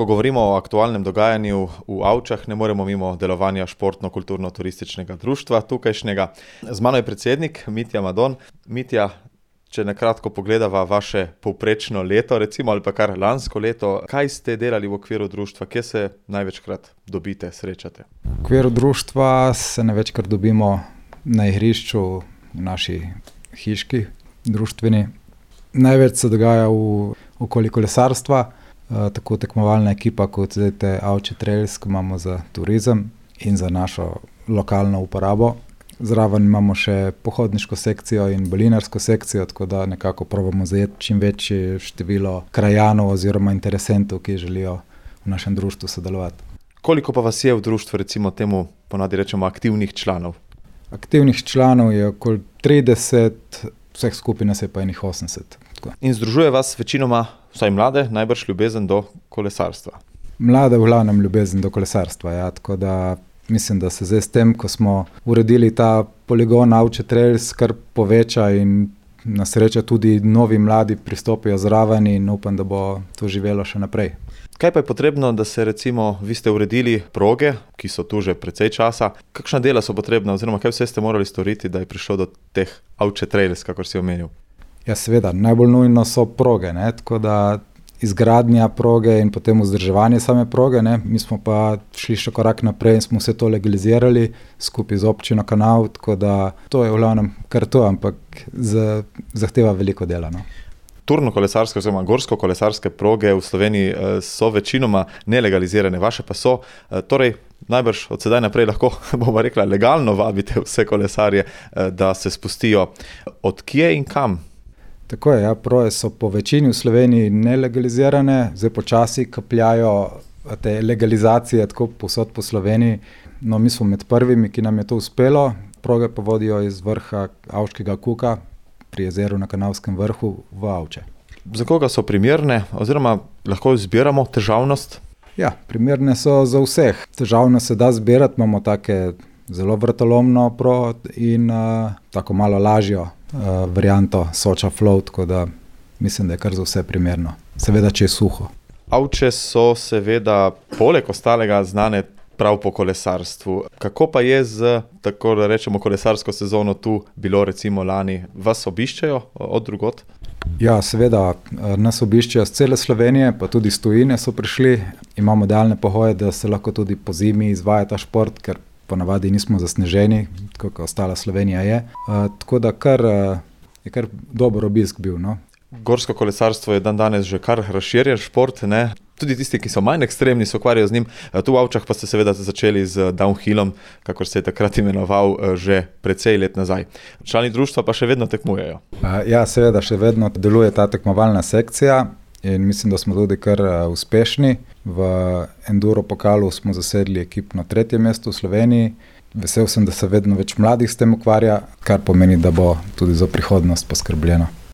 Ko govorimo o aktualnem dogajanju v Avčah, ne moremo mimo delovanja športno-kulturno-turističnega društva tukajšnjega. Z mano je predsednik Mitja Madon. Mitja, če nakratko pogledava vaše povprečno leto, recimo, ali pa kar lansko leto, kaj ste delali v okviru društva, kje se največkrat dobite, srečate? V okviru društva se največkrat dobimo na igrišču v naši hiški društveni. Največ se dogaja v okoli kolesarstva, tako tekmovalna ekipa kot zdaj Avče Trails, ki imamo za turizem in za našo lokalno uporabo. Zraven imamo še pohodniško sekcijo in balinarsko sekcijo, tako da nekako probamo zajeti čim večje število krajanov oziroma interesentov, ki želijo v našem društvu sodelovati. Koliko pa vas je v društvu, recimo temu ponavadi rečemo aktivnih članov? Aktivnih članov je okoli 30, vseh skupaj nas je pa enih 80. Tako. In združuje vas večinoma, vsaj mlade, najbrž ljubezen do kolesarstva? Mlade v glavnem ljubezen do kolesarstva, ja, tako da mislim, da se zdaj s tem, ko smo uredili ta poligon Avče Trails, kar poveča in na srečo tudi novi mladi pristopijo zraven in upam, da bo to živelo še naprej. Kaj pa je potrebno, da se recimo, vi ste uredili proge, ki so tu že precej časa, kakšna dela so potrebna oziroma kaj vse ste morali storiti, da je prišlo do teh Avče Trails, kakor si omenil? Ja, seveda, najbolj nujno so proge, ne, tako da izgradnja proge in potem vzdrževanje same proge, ne. Mi smo pa šli še korak naprej in smo vse to legalizirali skupaj z občino Kanal, tako da to je v glavnem kar to, ampak zahteva veliko dela, no. Turno-kolesarske oziroma gorsko-kolesarske proge v Sloveniji so večinoma nelegalizirane, vaše pa so. Torej, najbrž od sedaj naprej lahko, bomo rekla, legalno vabite vse kolesarje, da se spustijo. Od kje in kam? Tako je, ja, proge so po večini v Sloveniji nelegalizirane, zdaj počasi kapljajo te legalizacije tako povsod po Sloveniji. No, mi smo med prvimi, ki nam je to uspelo. Proge pa vodijo iz vrha Avškega kuka pri jezeru na Kanalskem vrhu v Avče. Za koga so primerne oziroma lahko zbiramo težavnost? Ja, primerne so za vseh. Težavnost se da zbirati, imamo take zelo vrtolomno progo in tako malo lažjo varianto Soča Flow, tako da mislim, da je kar za vse primerno. Seveda, če je suho. Avče so seveda poleg ostalega znane prav po kolesarstvu. Kako pa je z, tako da rečemo, kolesarsko sezono tu bilo recimo lani? Vas obiščajo od drugod? Ja, seveda, nas obiščajo z cele Slovenije, pa tudi iz tujine so prišli. Imamo idealne pogoje, da se lahko tudi po zimi izvaja ta šport, ker ponavadi nismo zasneženi, tako kot ostala Slovenija je. Tako da je kar dober obisk bil, no. Gorsko kolesarstvo je danes že kar razširjen šport, ne? Tudi tisti, ki so manj ekstremni, se ukvarjajo z njim. Tu v Avčah pa ste seveda začeli z downhillom, kakor se je takrat imenoval, že precej let nazaj. Člani društva pa še vedno tekmujejo. Ja, seveda, še vedno deluje ta tekmovalna sekcija in mislim, da smo tudi kar uspešni. V enduro pokalu smo zasedli ekipno 3. mesto v Sloveniji. Vesel sem, da se vedno več mladih s tem ukvarja, kar pomeni, da bo tudi za prihodnost poskrbljeno.